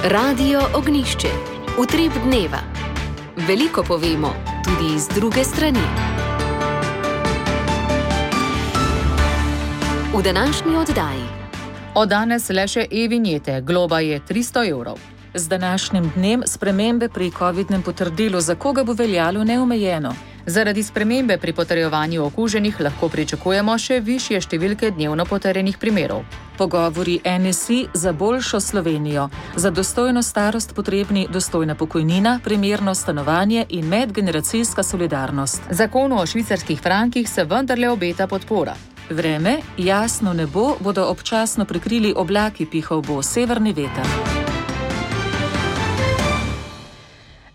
Radio Ognišče. Utrip dneva. Veliko povemo, tudi iz druge strani. V današnji oddaji. Od danes le še e-vinjete, globa je 300 evrov. Z današnjim dnem spremembe pri covidnem potrdilu, za koga bo veljalo neomejeno. Zaradi spremembe pri potrjevanju okuženih lahko pričakujemo še višje številke dnevno potrjenih primerov. Pogovori NSI za boljšo Slovenijo. Za dostojno starost potrebni dostojna pokojnina, primerno stanovanje in medgeneracijska solidarnost. Zakonu o švicarskih frankih se vendarle obeta podpora. Vreme, jasno nebo, bodo občasno prekrili oblaki, pihal bo severni veter.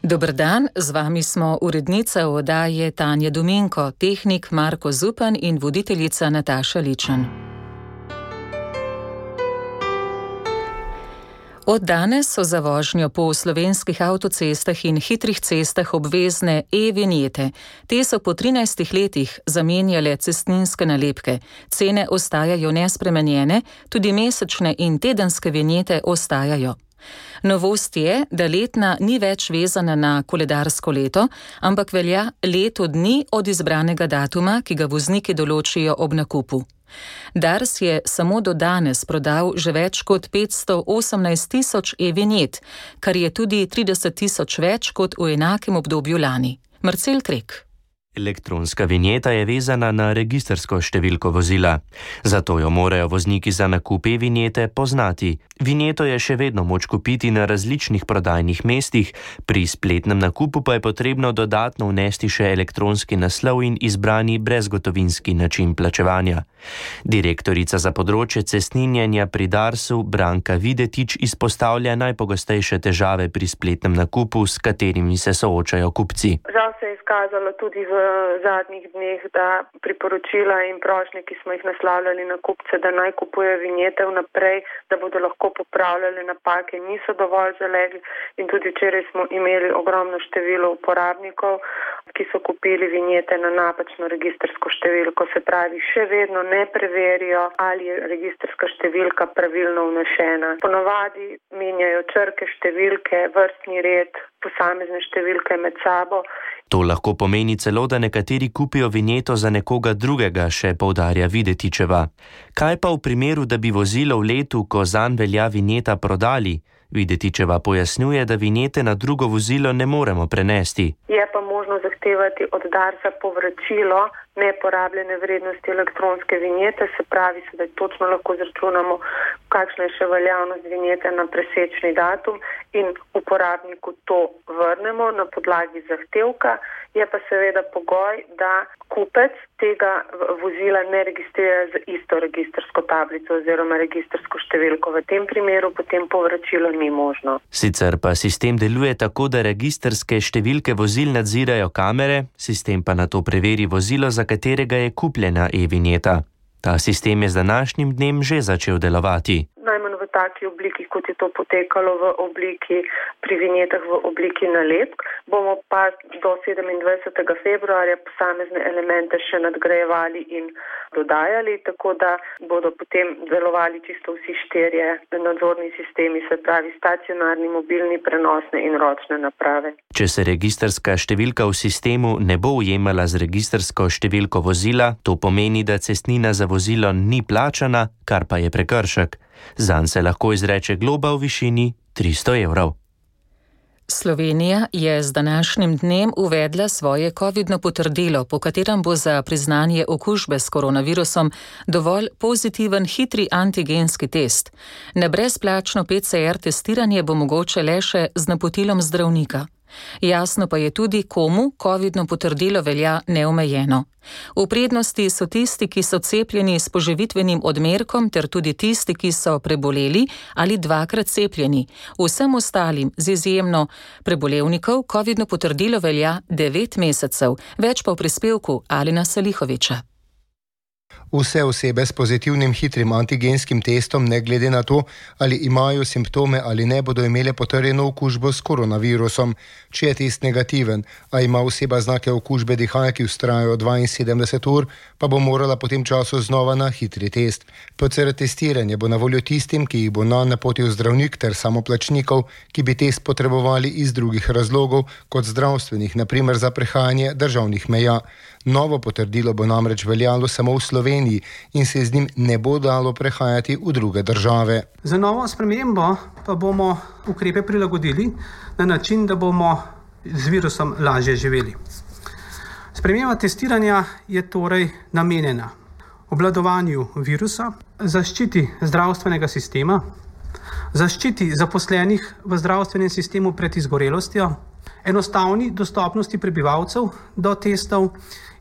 Dober dan, z vami smo urednica oddaje Tanja Dominko, tehnik Marko Zupan in voditeljica Nataša Ličan. Od danes so za vožnjo po slovenskih avtocestah in hitrih cestah obvezne e-vinjete. Te so po 13 letih zamenjale cestninske nalepke. Cene ostajajo nespremenjene, tudi mesečne in tedenske vinjete ostajajo. Novost je, da letna ni več vezana na koledarsko leto, ampak velja leto dni od izbranega datuma, ki ga vozniki določijo ob nakupu. Dars je samo do danes prodal že več kot 518 tisoč e-vinjet, kar je tudi 30 tisoč več kot v enakem obdobju lani. Marcel Krek. Elektronska vinjeta je vezana na registrsko številko vozila. Zato jo morajo vozniki za nakup e-vinjete poznati. Vinjeto je še vedno moč kupiti na različnih prodajnih mestih, pri spletnem nakupu pa je potrebno dodatno vnesti še elektronski naslov in izbrani brezgotovinski način plačevanja. Direktorica za področje cestninjenja pri Darsu Branka Videtič izpostavlja najpogostejše težave pri spletnem nakupu, s katerimi se soočajo kupci. Žal se je izkazalo tudi v zadnjih dneh, da priporočila in prošnje, ki smo jih naslavljali na kupce, da naj kupujejo vinjete vnaprej, da bodo lahko popravljali napake, niso dovolj zalegli in tudi včeraj smo imeli ogromno število uporabnikov, ki so kupili vinjete na napačno registrsko številko, se pravi, še vedno ne preverijo, ali je registrska številka pravilno vnešena. Ponavadi menjajo črke, številke, vrstni red, posamezne številke med sabo. To lahko pomeni celo, da nekateri kupijo vinjeto za nekoga drugega, še poudarja Videtičeva. Kaj pa v primeru, da bi vozilo v letu, ko zanj velja vinjeta, prodali? Videtičeva pojasnjuje, da vinjete na drugo vozilo ne moremo prenesti. Je pa možno zahtevati od Darsa povračilo neporabljene vrednosti elektronske vinjete, se pravi, da točno lahko izračunamo, kakšna je še veljavnost vinjete na presečni datum in uporabniku to vrnemo na podlagi zahtevka. Je pa seveda pogoj, da kupec tega vozila ne registrira z isto registrsko tablico oziroma registrsko številko. V tem primeru potem povračilo ni možno. Sicer pa sistem deluje tako, da registrske številke vozil nadzirajo kamere, sistem pa nato preveri vozilo, za katerega je kupljena e-vinjeta. Ta sistem je z današnjim dnem že začel delovati. Najmanj v taki obliki, kot je to potekalo v obliki pri vinjetah v obliki nalepk. Bomo pa do 27. februarja posamezne elemente še nadgrajevali in dodajali, tako da bodo potem delovali čisto vsi štirje nadzorni sistemi, se pravi stacionarni, mobilni, prenosne in ročne naprave. Če se registrska številka v sistemu ne bo ujemala z registrsko številko vozila, to pomeni, da cestnina za vozilo ni plačana, kar pa je prekršek. Zanj se lahko izreče globa v višini 300 evrov. Slovenija je z današnjim dnem uvedla svoje covidno potrdilo, po katerem bo za priznanje okužbe s koronavirusom dovolj pozitiven hitri antigenski test. Na brezplačno PCR testiranje bo mogoče le še z napotilom zdravnika. Jasno pa je tudi, komu covidno potrdilo velja neomejeno. V prednosti so tisti, ki so cepljeni s poživitvenim odmerkom, ter tudi tisti, ki so preboleli ali dvakrat cepljeni. Vsem ostalim, z izjemno prebolevnikov, covidno potrdilo velja 9 mesecev. Več pa v prispevku Alena Salihoviča. Vse osebe s pozitivnim hitrim antigenskim testom, ne glede na to, ali imajo simptome ali ne, bodo imele potrjeno okužbo s koronavirusom. Če je test negativen, a ima oseba znake okužbe dihal, ki vztrajajo 72 ur, pa bo morala po tem času znova na hitri test. PCR testiranje bo na voljo tistim, ki jih bo napotil zdravnik, ter samoplačnikov, ki bi test potrebovali iz drugih razlogov, kot zdravstvenih, na primer za prehajanje državnih meja. Novo potrdilo bo namreč veljalo samo v Sloveniji in se z njim ne bo dalo prehajati v druge države. Za novo spremembo pa bomo ukrepe prilagodili na način, da bomo z virusom lažje živeli. Sprememba testiranja je torej namenjena obvladovanju virusa, zaščiti zdravstvenega sistema, zaščiti zaposlenih v zdravstvenem sistemu pred izgorelostjo, enostavni dostopnosti prebivalcev do testov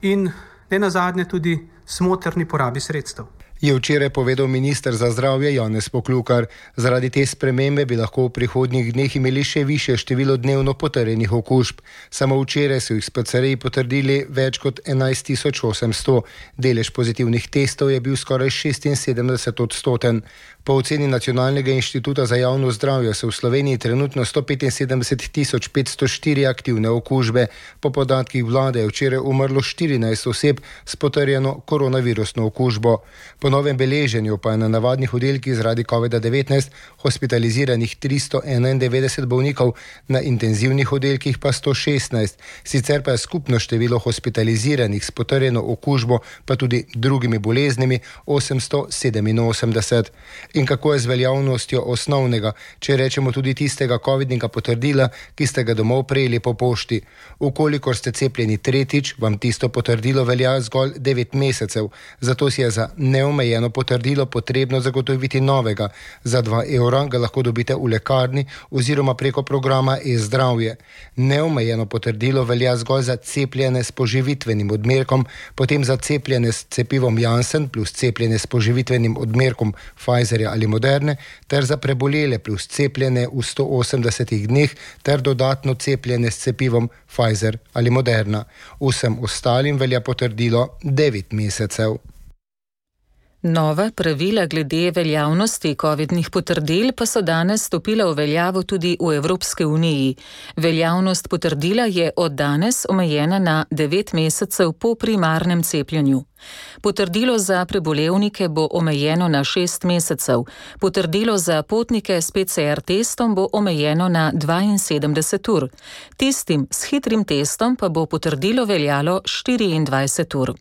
in nenazadnje tudi smotrni porabi sredstev. Je včeraj povedal minister za zdravje Janez Poklukar. Zaradi te spremembe bi lahko v prihodnjih dneh imeli še višje število dnevno potrjenih okužb. Samo včeraj so jih s PCR-ji potrdili več kot 11.800. Delež pozitivnih testov je bil skoraj 76%. Po oceni Nacionalnega inštituta za javno zdravje so v Sloveniji trenutno 175.504 aktivne okužbe. Po podatkih vlade je včeraj umrlo 14 oseb s potrjeno koronavirusno okužbo. Po novem beleženju pa je na navadnih oddelkih zaradi COVID-19 hospitaliziranih 391 bolnikov, na intenzivnih oddelkih pa 116. Sicer pa je skupno število hospitaliziranih s potrjeno okužbo, pa tudi drugimi boleznimi, 887. In kako je z veljavnostjo osnovnega, če rečemo tudi tistega covidnega potrdila, ki ste ga domov prejeli po pošti? Ukolikor ste cepljeni tretjič, vam tisto potrdilo velja zgolj 9 mesecev. Zato si je za neomejeno potrdilo potrebno zagotoviti novega. Za 2 evra ga lahko dobite v lekarni oziroma preko programa e-zdravje. Neomejeno potrdilo velja zgolj za cepljene s poživitvenim odmerkom, potem za cepljene s cepivom Janssen plus cepljene s poživitvenim odmerkom Pfizerja ali Moderne, ter za prebolele plus cepljene v 180 dneh, ter dodatno cepljene s cepivom Pfizer ali Moderna. Vsem ostalim velja potrdilo 9 mesecev. Nova pravila glede veljavnosti covidnih potrdil pa so danes stopila v veljavo tudi v Evropski uniji. Veljavnost potrdila je od danes omejena na 9 mesecev po primarnem cepljenju. Potrdilo za prebolevnike bo omejeno na 6 mesecev, potrdilo za potnike s PCR testom bo omejeno na 72 ur. Tistim s hitrim testom pa bo potrdilo veljalo 24 ur.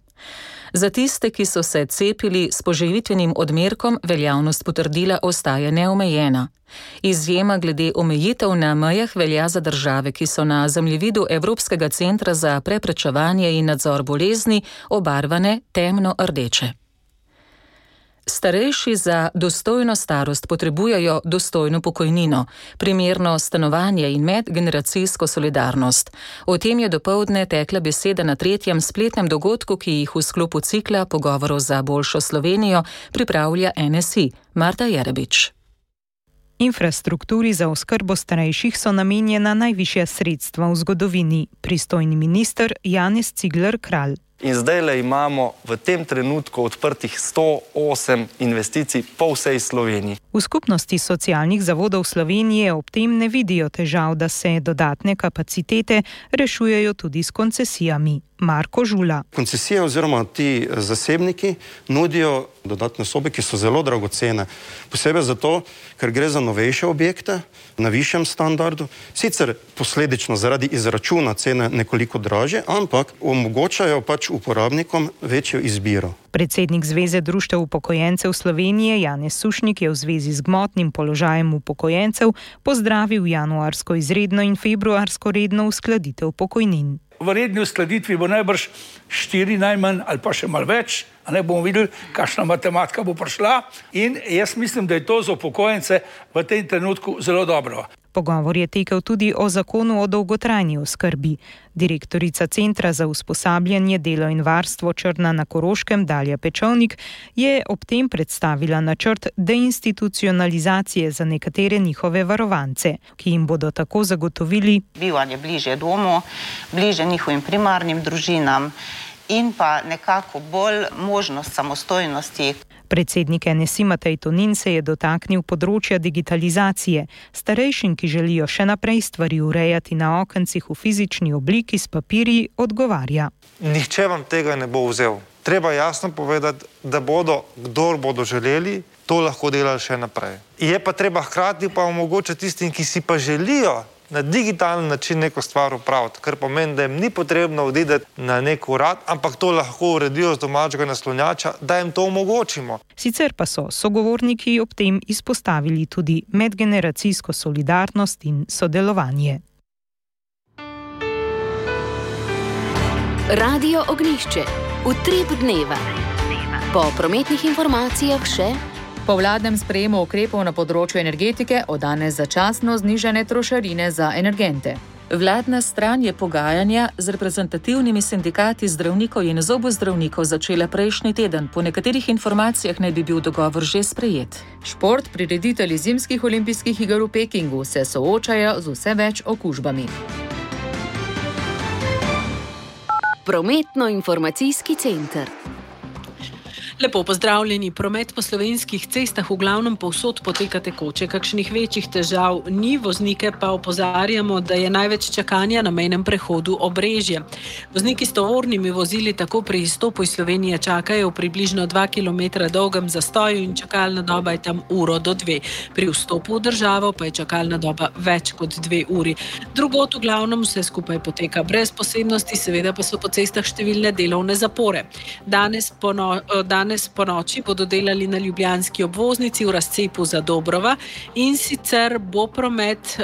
Za tiste, ki so se cepili s poživitvenim odmerkom, veljavnost potrdila ostaja neomejena. Izjema glede omejitev na mejah velja za države, ki so na zemljevidu Evropskega centra za preprečevanje in nadzor bolezni obarvane temno rdeče. Starejši za dostojno starost potrebujejo dostojno pokojnino, primerno stanovanje in medgeneracijsko solidarnost. O tem je dopoldne tekla beseda na 3. spletnem dogodku, ki jih v sklopu cikla pogovorov za boljšo Slovenijo pripravlja NSI. Marta Jerebič. Infrastrukturi za oskrbo starejših so namenjena najvišja sredstva v zgodovini, pristojni minister Janez Cigler Kralj. In zdajle imamo v tem trenutku odprtih 108 investicij po vsej Sloveniji. V skupnosti socialnih zavodov Slovenije ob tem ne vidijo težav, da se dodatne kapacitete rešujejo tudi s koncesijami. Marko Žula. Koncesije oziroma ti zasebniki nudijo dodatne sobe, ki so zelo dragocene. Posebej zato, ker gre za novejše objekte na višjem standardu. Sicer posledično zaradi izračuna cene nekoliko dražje, ampak omogočajo pač uporabnikom večjo izbiro. Predsednik Zveze društev upokojencev Slovenije Janez Sušnik je v zvezi z gmotnim položajem upokojencev pozdravil januarsko izredno in februarsko redno uskladitev pokojnin. V redni uskladitvi bo najbrž 4 najmanj ali pa še malo več, a ne bomo videli, kakšna matematika bo prišla, in jaz mislim, da je to za upokojence v tem trenutku zelo dobro. Pogovor je tekel tudi o zakonu o dolgotrajni oskrbi. Direktorica Centra za usposabljanje, delo in varstvo Črna na Koroškem, Dalja Pečovnik, je ob tem predstavila načrt deinstitucionalizacije za nekatere njihove varovance, ki jim bodo tako zagotovili bivanje bližje domu, bližje njihovim primarnim družinam in pa nekako bolj možnost samostojnosti. Predsednik NSI Matej Tonin se je dotaknil področja digitalizacije. Starejšim, ki želijo še naprej stvari urejati na okencih v fizični obliki s papirji, odgovarja. Nihče vam tega ne bo vzel. Treba jasno povedati, da bodo, kdor bodo želeli, to lahko delali še naprej. Je pa treba hkrati pa omogočiti tistim, ki si pa želijo na digitalen način neko stvar upraviti, kar pomeni, da jim ni potrebno odideti na nek urad, ampak to lahko uredijo z domačega naslonjača, da jim to omogočimo. Sicer pa so sogovorniki ob tem izpostavili tudi medgeneracijsko solidarnost in sodelovanje. Radio Ognjišče. Utrip dneva. Po prometnih informacijah še... Po vladnem sprejemu ukrepov na področju energetike od danes začasno znižane trošarine za energente. Vladna stran je pogajanja z reprezentativnimi sindikati zdravnikov in zobozdravnikov začela prejšnji teden. Po nekaterih informacijah naj bi bil dogovor že sprejet. Šport, prireditelji zimskih olimpijskih iger v Pekingu se soočajo z vse več okužbami. Prometno-informacijski center. Lepo pozdravljeni. Promet po slovenskih cestah v glavnem povsod poteka tekoče. Kakšnih večjih težav ni, voznike pa opozarjamo, da je največ čakanja na mejnem prehodu Obrežje. Vozniki s tovornimi vozili tako pri izstopu iz Slovenije čakajo v približno 2 km dolgem zastoju in čakalna doba je tam 1 do 2. Pri vstopu v državo pa je čakalna doba več kot 2 uri. Drugod v glavnem vse skupaj poteka brez posebnosti, seveda pa so po cestah številne delovne zapore. Danes po noči bodo delali na ljubljanski obvoznici v razcepu za Dobrova in sicer bo promet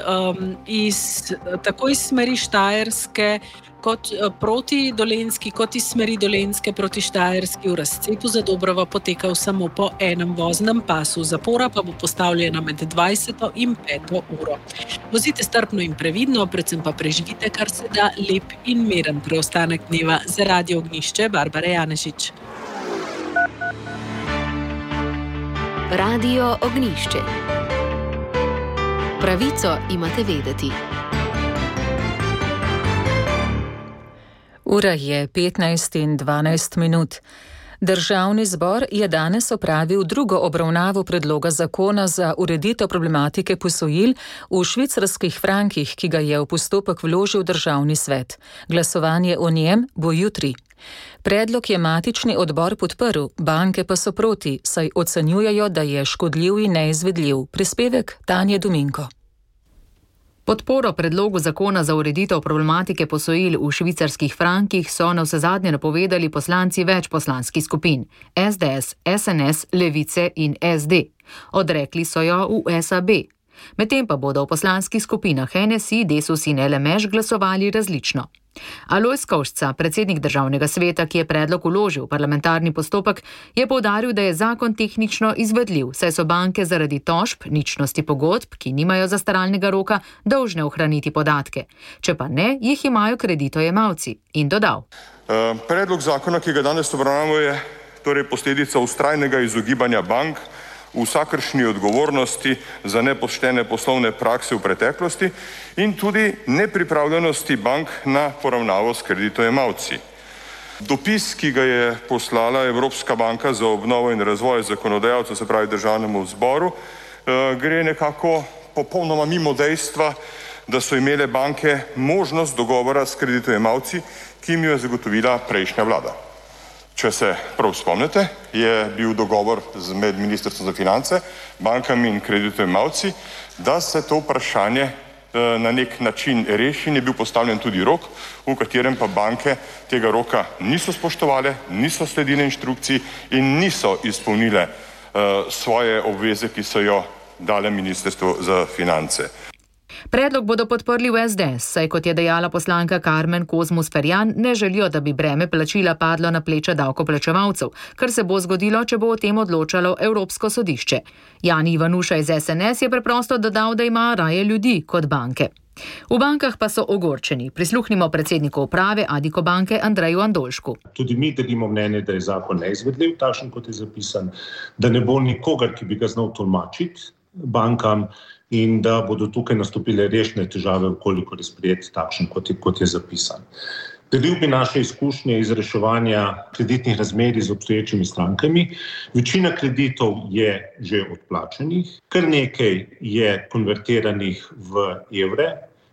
tako iz smeri Štajerske kot proti Dolenjski, kot iz smeri Dolenjske proti Štajerski v razcepu za Dobrova potekal samo po enem voznem pasu. Zapora pa bo postavljena med 20. in 5. uro. Vozite strpno in previdno, predvsem pa preživite kar se da lep in miren preostanek dneva. Za Radio Ognjišče, Barbara Janežič. Radio Ognjišče. Pravico imate vedeti. Ura je 15:12. Državni zbor je danes opravil drugo obravnavo predloga zakona za ureditev problematike posojil v švicarskih frankih, ki ga je v postopek vložil Državni svet. Glasovanje o njem bo jutri. Predlog je matični odbor podprl, banke pa so proti, saj ocenjujejo, da je škodljiv in neizvedljiv. Prispevek Tanje Dominko. Podporo predlogu zakona za ureditev problematike posojil v švicarskih frankih so navsezadnje napovedali poslanci več poslanskih skupin: SDS, SNS, Levice in SD. Odrekli so jo v SAB. Medtem pa bodo v poslanskih skupinah NSI, Desus in LMŠ glasovali različno. Alojz Kovšca, predsednik Državnega sveta, ki je predlog vložil v parlamentarni postopek, je poudaril, da je zakon tehnično izvedljiv, saj so banke zaradi tožb, ničnosti pogodb, ki nimajo zastaralnega roka, dolžne ohraniti podatke. Če pa ne, jih imajo kreditojemalci. In dodal. Predlog zakona, ki ga danes obravnavamo, je torej posledica vztrajnega izogibanja bank v vsakršni odgovornosti za nepoštene poslovne prakse v preteklosti in tudi nepripravljenosti bank na poravnavo s kreditojemalci. Dopis, ki ga je poslala Evropska banka za obnovo in razvoj zakonodajalcev, se pravi Državnemu zboru, gre nekako popolnoma mimo dejstva, da so imele banke možnost dogovora s kreditojemalci, ki jim jo je zagotovila prejšnja vlada. Če se prav spomnite, je bil dogovor med Ministrstvom za finance, bankami in kreditojemalci, da se to vprašanje na nek način reši in je bil postavljen tudi rok, v katerem pa banke tega roka niso spoštovale, niso sledile inštrukciji in niso izpolnile svoje obveze, ki so jo dale Ministrstvo za finance. Predlog bodo podprli v SDS, saj kot je dejala poslanka Karmen Kozmus-Ferjan, ne želijo, da bi breme plačila padlo na pleča davkoplačevalcev, kar se bo zgodilo, če bo o tem odločalo Evropsko sodišče. Jani Ivanuša iz SNS je preprosto dodal, da ima raje ljudi kot banke. V bankah pa so ogorčeni. Prisluhnimo predsedniku uprave Addiko banke Andreju Andolšku. Tudi mi delimo mnenje, da je zakon neizvedljiv, takšen kot je zapisan, da ne bo nikogar, ki bi ga znal tolmačiti bankam, in da bodo tukaj nastopile resne težave, koliko je sprejet takšen, kot je zapisan. Delil bi naše izkušnje iz reševanja kreditnih razmerij z obstoječimi strankami. Večina kreditov je že odplačenih, kar nekaj je konvertiranih v evre.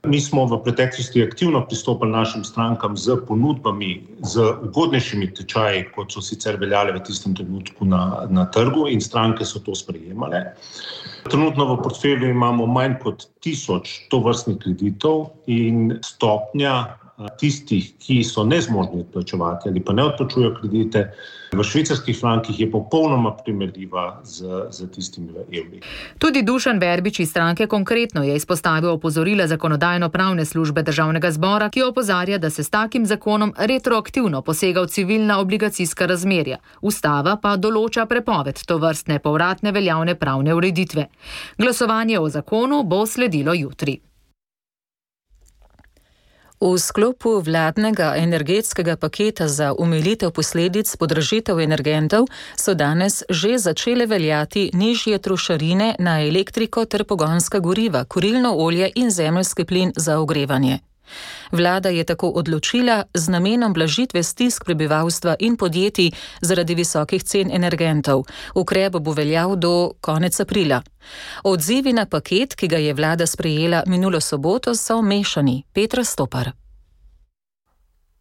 Mi smo v preteklosti aktivno pristopali našim strankam z ponudbami, z ugodnejšimi tečaji, kot so sicer veljale v tistem trenutku na trgu, in stranke so to sprejemale. Trenutno v portfelju imamo manj kot 1000 tovrstnih kreditov in stopnja tistih, ki so nezmožni odplačevati ali pa ne odplačujejo kredite, v švicarskih frankih je popolnoma primerljiva z tistimi v evri. Tudi Dušan Verbič iz stranke Konkretno je izpostavil opozorila Zakonodajno-pravne službe Državnega zbora, ki opozarja, da se s takim zakonom retroaktivno posega v civilna obligacijska razmerja. Ustava pa določa prepoved tovrstne povratne veljavne pravne ureditve. Glasovanje o zakonu bo sledilo jutri. V sklopu vladnega energetskega paketa za omilitev posledic podražitev energentov so danes že začele veljati nižje trošarine na elektriko ter pogonska goriva, kurilno olje in zemeljski plin za ogrevanje. Vlada je tako odločila z namenom blažitve stisk prebivalstva in podjetij zaradi visokih cen energentov. Ukrep bo veljal do konec aprila. Odzivi na paket, ki ga je vlada sprejela minulo soboto, so mešani. Petra Stopar.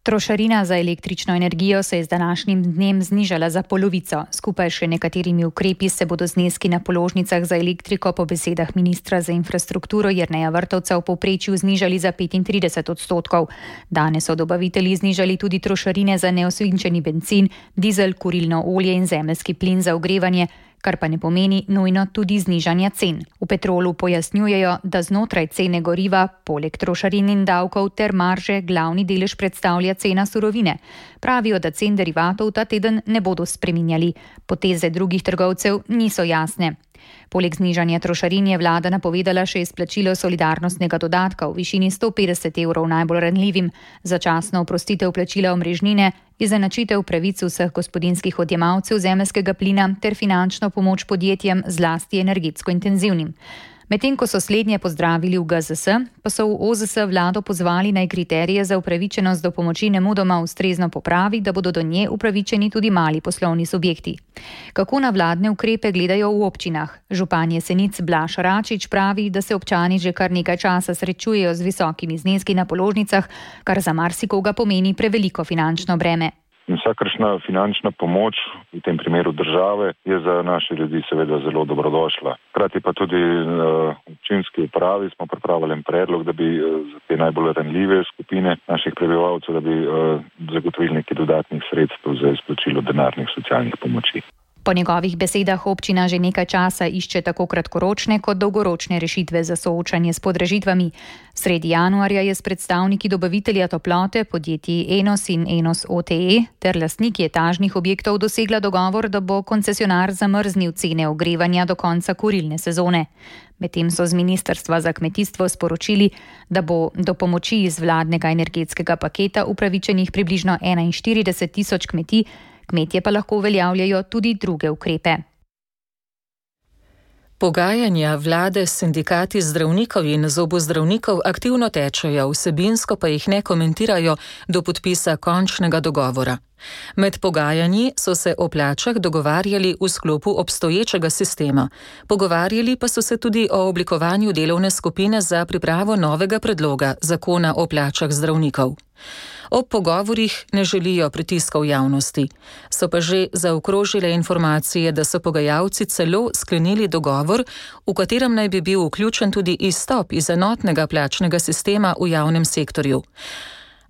Trošarina za električno energijo se je z današnjim dnem znižala za polovico. Skupaj še nekaterimi ukrepi se bodo zneski na položnicah za elektriko po besedah ministra za infrastrukturo Jerneja Vrtovca v povprečju znižali za 35%. Danes so dobavitelji znižali tudi trošarine za neosvinčeni bencin, dizel, kurilno olje in zemeljski plin za ogrevanje, kar pa ne pomeni nujno tudi znižanja cen. V Petrolu pojasnjujejo, da znotraj cene goriva, poleg trošarin in davkov ter marže, glavni delež predstavlja cena surovine. Pravijo, da cen derivatov ta teden ne bodo spreminjali. Poteze drugih trgovcev niso jasne. Poleg znižanja trošarin je vlada napovedala še izplačilo solidarnostnega dodatka v višini 150 evrov najbolj ranljivim, začasno oprostitev plačila omrežnine, izenačitev pravic vseh gospodinjskih odjemalcev zemeljskega plina ter finančno pomoč podjetjem, zlasti energetsko intenzivnim. Medtem ko so slednje pozdravili v GZS, pa so v OZS vlado pozvali naj kriterije za upravičenost do pomoči nemudoma ustrezno popravi, da bodo do nje upravičeni tudi mali poslovni subjekti. Kako na vladne ukrepe gledajo v občinah? Župan Jesenic Blaž Račič pravi, da se občani že kar nekaj časa srečujejo z visokimi zneski na položnicah, kar za marsikoga pomeni preveliko finančno breme. Vsakršna finančna pomoč, v tem primeru države, je za naše ljudi seveda zelo dobrodošla. Hkrati pa tudi v občinski upravi smo pripravili en predlog, da bi za te najbolj ranljive skupine naših prebivalcev, da bi zagotovili nekaj dodatnih sredstev za izplačilo denarnih socialnih pomoči. Po njegovih besedah občina že nekaj časa išče tako kratkoročne kot dolgoročne rešitve za soočanje s podražitvami. Sredi januarja je s predstavniki dobavitelja toplote, podjetji Enos in Enos OTE ter lastniki etažnih objektov dosegla dogovor, da bo koncesionar zamrznil cene ogrevanja do konca kurilne sezone. Medtem so z Ministrstva za kmetijstvo sporočili, da bo do pomoči iz vladnega energetskega paketa upravičenih približno 41 tisoč kmetij, kmetje pa lahko uveljavljajo tudi druge ukrepe. Pogajanja vlade s sindikati zdravnikov in zobozdravnikov aktivno tečejo, vsebinsko pa jih ne komentirajo do podpisa končnega dogovora. Med pogajanji so se o plačah dogovarjali v sklopu obstoječega sistema. Pogovarjali pa so se tudi o oblikovanju delovne skupine za pripravo novega predloga zakona o plačah zdravnikov. Ob pogovorih ne želijo pritiskov javnosti. So pa že zaokrožile informacije, da so pogajalci celo sklenili dogovor, v katerem naj bi bil vključen tudi izstop iz enotnega plačnega sistema v javnem sektorju.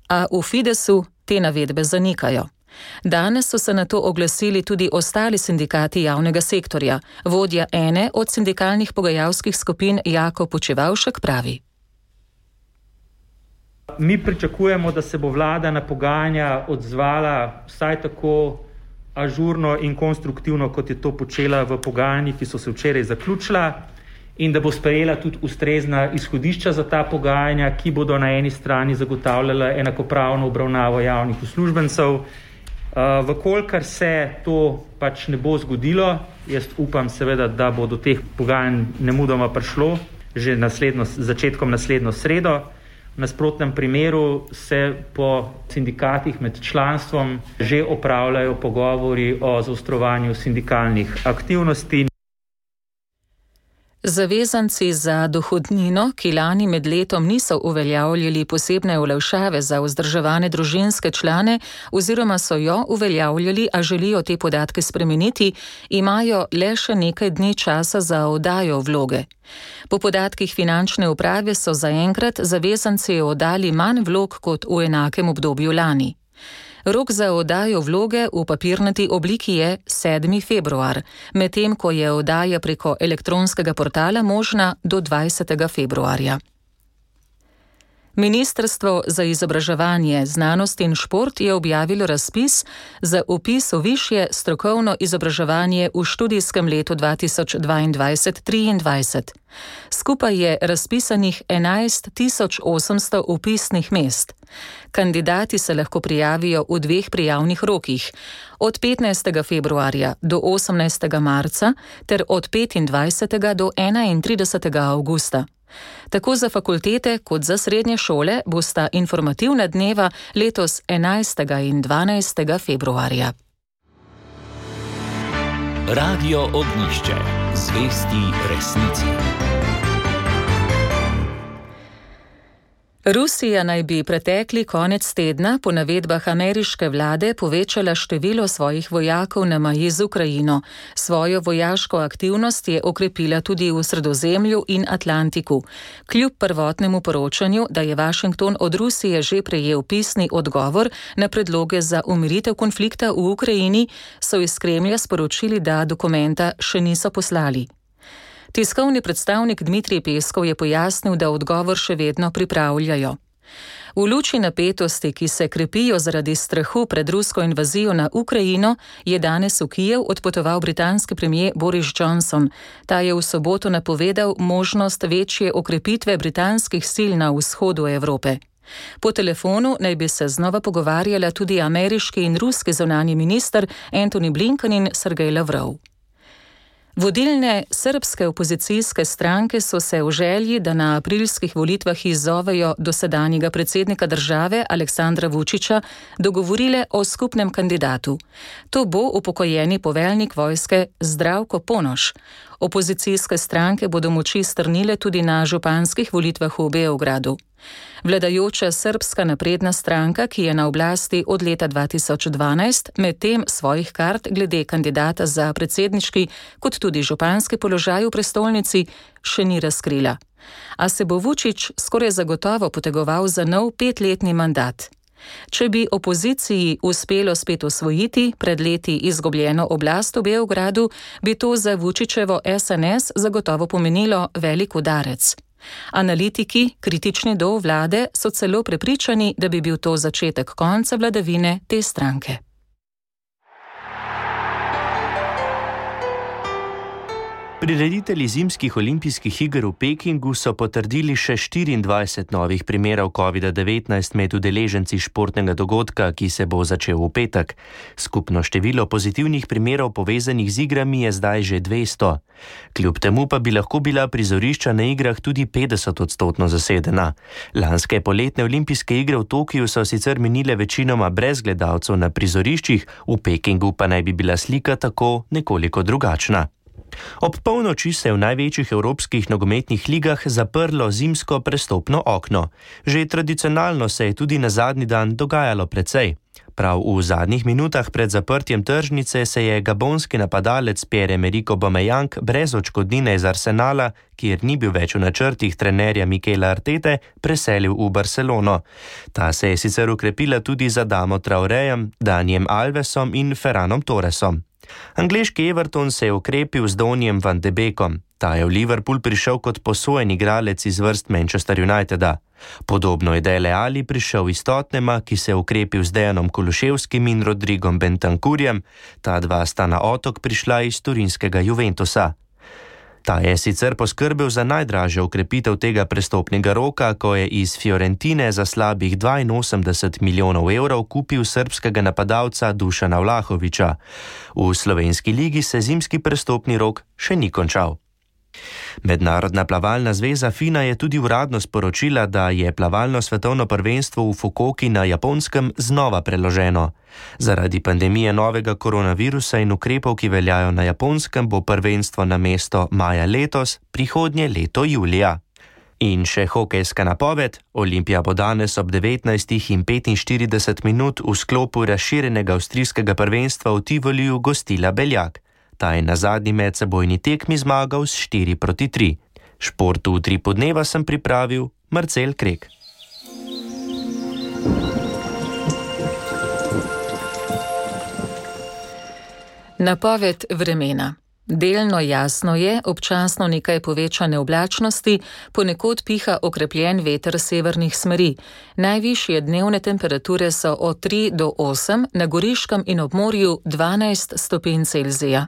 A v Fidesu te navedbe zanikajo. Danes so se na to oglasili tudi ostali sindikati javnega sektorja. Vodja ene od sindikalnih pogajalskih skupin Jako Počevalšek pravi. Mi pričakujemo, da se bo vlada na pogajanja odzvala vsaj tako ažurno in konstruktivno, kot je to počela v pogajanjih, ki so se včeraj zaključila, in da bo sprejela tudi ustrezna izhodišča za ta pogajanja, ki bodo na eni strani zagotavljala enakopravno obravnavo javnih uslužbencev. Vkolikor se to pač ne bo zgodilo, jaz upam seveda, da bo do teh pogajanj nemudoma prišlo že začetkom naslednjo sredo. V nasprotnem primeru se po sindikatih med članstvom že opravljajo pogovori o zaostrovanju sindikalnih aktivnosti. Zavezanci za dohodnino, ki lani med letom niso uveljavljali posebne olajšave za vzdrževane družinske člane oziroma so jo uveljavljali, a želijo te podatke spremeniti, imajo le še nekaj dni časa za oddajo vloge. Po podatkih finančne uprave so zaenkrat zavezanci oddali manj vlog kot v enakem obdobju lani. Rok za oddajo vloge v papirnati obliki je 7. februar, medtem ko je oddaja preko elektronskega portala možna do 20. februarja. Ministrstvo za izobraževanje, znanost in šport je objavilo razpis za vpis v višje strokovno izobraževanje v študijskem letu 2022-2023. Skupaj je razpisanih 11.800 vpisnih mest. Kandidati se lahko prijavijo v 2 prijavnih rokih, od 15. februarja do 18. marca ter od 25. do 31. avgusta. Tako za fakultete kot za srednje šole bosta informativna dneva letos 11. in 12. februarja. Radio Ognjišče. Zvesti resnici. Rusija naj bi pretekli konec tedna po navedbah ameriške vlade povečala število svojih vojakov na meji z Ukrajino. Svojo vojaško aktivnost je okrepila tudi v Sredozemlju in Atlantiku. Kljub prvotnemu poročanju, da je Washington od Rusije že prejel pisni odgovor na predloge za umiritev konflikta v Ukrajini, so iz Kremlja sporočili, da dokumenta še niso poslali. Tiskovni predstavnik Dmitrij Peskov je pojasnil, da odgovor še vedno pripravljajo. V luči napetosti, ki se krepijo zaradi strahu pred rusko invazijo na Ukrajino, je danes v Kijev odpotoval britanski premier Boris Johnson. Ta je v soboto napovedal možnost večje okrepitve britanskih sil na vzhodu Evrope. Po telefonu naj bi se znova pogovarjala tudi ameriški in ruski zunanji minister Antony Blinken in Sergej Lavrov. Vodilne srbske opozicijske stranke so se v želji, da na aprilskih volitvah izzovejo dosedanjega predsednika države Aleksandra Vučića, dogovorile o skupnem kandidatu. To bo upokojeni poveljnik vojske Zdravko Ponoš. Opozicijske stranke bodo moči strnile tudi na županskih volitvah v Beogradu. Vladajoča Srbska napredna stranka, ki je na oblasti od leta 2012, medtem svojih kart glede kandidata za predsedniški kot tudi županski položaj v prestolnici še ni razkrila. A se bo Vučić skoraj zagotovo potegoval za nov 5-letni mandat. Če bi opoziciji uspelo spet osvojiti pred leti izgubljeno oblast v Beogradu, bi to za Vučićevo SNS zagotovo pomenilo velik udarec. Analitiki, kritični do vlade, so celo prepričani, da bi bil to začetek konca vladavine te stranke. Prireditelji zimskih olimpijskih iger v Pekingu so potrdili še 24 novih primerov COVID-19 med udeleženci športnega dogodka, ki se bo začel v petek. Skupno število pozitivnih primerov povezanih z igrami je zdaj že 200. Kljub temu pa bi lahko bila prizorišča na igrah tudi 50% zasedena. Lanske poletne olimpijske igre v Tokiu so sicer minile večinoma brez gledalcev na prizoriščih, v Pekingu pa naj bi bila slika tako nekoliko drugačna. Ob polnoči se je v največjih evropskih nogometnih ligah zaprlo zimsko prestopno okno. Že tradicionalno se je tudi na zadnji dan dogajalo precej. Prav v zadnjih minutah pred zaprtjem tržnice se je gabonski napadalec Pierre-Emerick Aubameyang brez odškodnine iz Arsenala, kjer ni bil več v načrtih trenerja Mikela Artete, preselil v Barcelono. Ta se je sicer ukrepila tudi za Adamo Traorejem, Danijem Alvesom in Ferranom Torresom. Angleški Everton se je ukrepil z Donjem van de Beekom. Ta je v Liverpool prišel kot posojen igralec iz vrst Manchester Uniteda. Podobno je Dele Alli prišel iz Tottenhama, ki se je ukrepil z Dejanom Kuluševskim in Rodrigom Bentancurjem. Ta dva sta na otok prišla iz turinskega Juventusa. Ta je sicer poskrbel za najdražjo ukrepitev tega prestopnega roka, ko je iz Fiorentine za slabih 82 milijonov evrov kupil srbskega napadalca Dušana Vlahovića. V slovenski ligi se zimski prestopni rok še ni končal. Mednarodna plavalna zveza FINA je tudi uradno sporočila, da je plavalno svetovno prvenstvo v Fukuoki na Japonskem znova preloženo. Zaradi pandemije novega koronavirusa in ukrepov, ki veljajo na Japonskem, bo prvenstvo namesto maja letos prihodnje leto julija. In še hokejska napoved. Olimpija bo danes ob 19:45 v sklopu razširjenega avstrijskega prvenstva v Tivoliju gostila Beljak. Ta je na zadnji medsebojni tekmi zmagal s 4-3. Športu v Utripu dneva sem pripravil Marcel Krek. Napoved vremena. Delno jasno je, občasno nekaj povečane oblačnosti, ponekod piha okrepljen veter severnih smeri. Najvišje dnevne temperature so od 3 do 8, na Goriškem in ob morju 12 stopinj Celzija.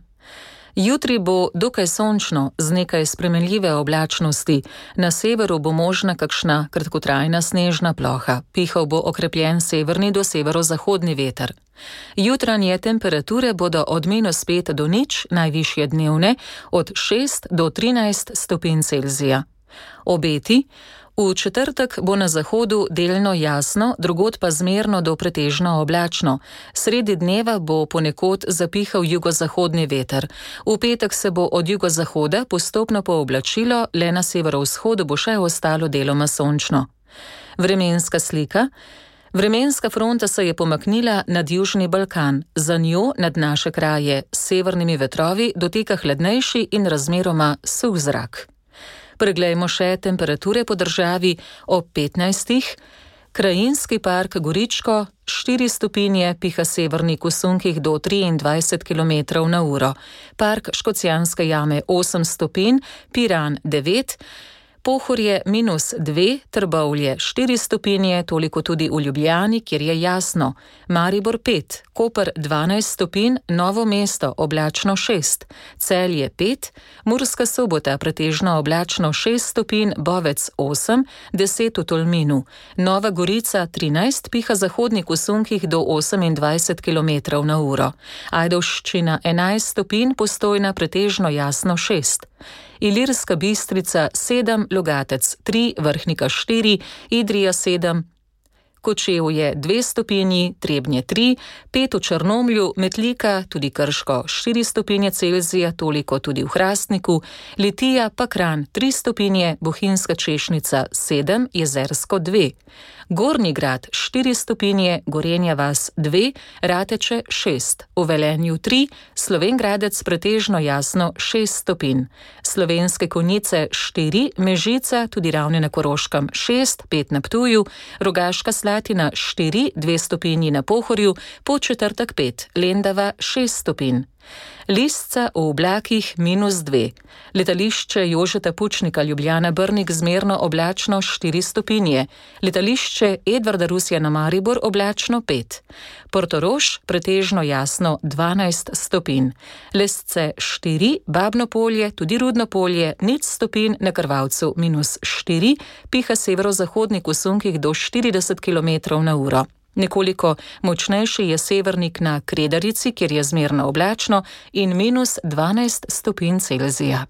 Jutri bo dokaj sončno, z nekaj spremenljive oblačnosti. Na severu bo možna kakšna kratkotrajna snežna ploha. Pihal bo okrepljen severni do severozahodni veter. Jutranje temperature bodo od -5 do 0, najvišje dnevne od 6 do 13 stopinj Celzija. Obeti. V četrtek bo na zahodu delno jasno, drugod pa zmerno do pretežno oblačno. Sredi dneva bo ponekod zapihal jugozahodni veter. V petek se bo od jugozahoda postopno pooblačilo, le na severovzhodu bo še ostalo deloma sončno. Vremenska slika. Vremenska fronta se je pomaknila nad Južni Balkan, za njo nad naše kraje s severnimi vetrovi doteka hladnejši in razmeroma suh zrak. Preglejmo še temperature po državi ob 15. Krajinski park Goričko 4 stopinje, piha severnik v sunkih do 23 km/h. Park Škocjanske jame 8 stopinj, Piran 9, Pohorje -2, Trbovlje 4 stopinje, toliko tudi v Ljubljani, kjer je jasno. Maribor 5, Koper 12 stopinj, Novo mesto oblačno 6, Celje 5, Murska Sobota pretežno oblačno 6 stopinj, Bovec 8, 10 v Tolminu, Nova Gorica 13, piha zahodnik v sunkih do 28 km/h. Ajdovščina 11 stopinj, Postojna pretežno jasno 6. Ilirska Bistrica 7, Logatec 3, Vrhnika 4, Idrija 7, Kočevje 2 stopinji, Trebnje 3, 5 v Črnomlju, Metlika, tudi Krško 4 stopinje Celzija, toliko tudi v Hrastniku, Litija pa Kranj 3 stopinje, Bohinjska Češnica 7, Jezersko 2. Gornji Grad 4 stopinje, Gorenja vas 2, Rateče 6, v Velenju 3, Slovenj Gradec pretežno jasno 6 stopinj, Slovenske Konjice 4, Mežica, tudi Ravne na Koroškem 6, 5 na Ptuju, Rogaška Slatina 4, 2 stopinji na Pohorju, Podčetrtek 5, Lendava 6 stopinj. Lisca v oblakih -2. Letališče Jožeta Pučnika Ljubljana Brnik zmerno oblačno 4 stopinje. Letališče Edvarda Rusjana Maribor oblačno 5. Portorož pretežno jasno 12 stopinj. Lesce 4, Babno Polje, tudi Rudno Polje 0 stopinj, na Krvavcu -4, piha severozahodnik v sunkih do 40 km/h. Nekoliko močnejši je severnik na Kredarici, kjer je zmerno oblačno in -12 stopinj Celzija.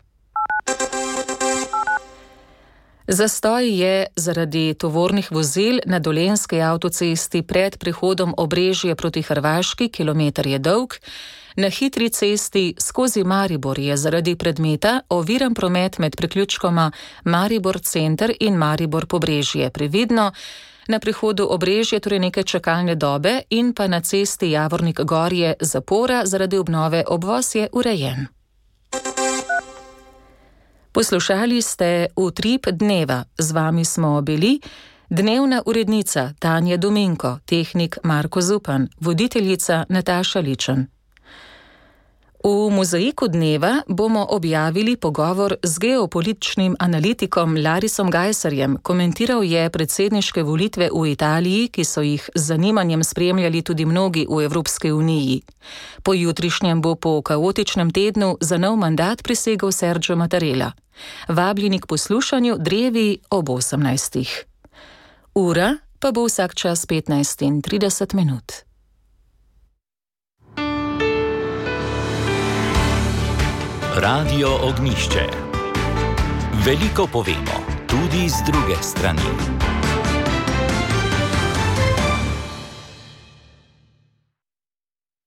Zastoj je zaradi tovornih vozil na Dolenjski avtocesti pred prehodom Obrežje proti Hrvaški, kilometer je dolg. Na hitri cesti skozi Maribor je zaradi predmeta oviran promet med priključkoma Maribor Center in Maribor Pobrežje. Previdno. Na prehodu Obrežje torej nekaj čakalne dobe in pa na cesti Javornik Gorje zapora zaradi obnove, obvoz je urejen. Poslušali ste Utrip dneva. Z vami smo bili dnevna urednica Tanja Dominko, tehnik Marko Zupan, voditeljica Nataša Ličen. V mozaiku dneva bomo objavili pogovor z geopolitičnim analitikom Larisom Gajserjem. Komentiral je predsedniške volitve v Italiji, ki so jih z zanimanjem spremljali tudi mnogi v Evropski uniji. Po jutrišnjem bo po kaotičnem tednu za nov mandat prisegel Sergio Mattarella. Vabljeni k poslušanju drevi ob 18. Ura pa bo vsak čas 15:30. Radio Ognišče. Veliko povemo, tudi z druge strani.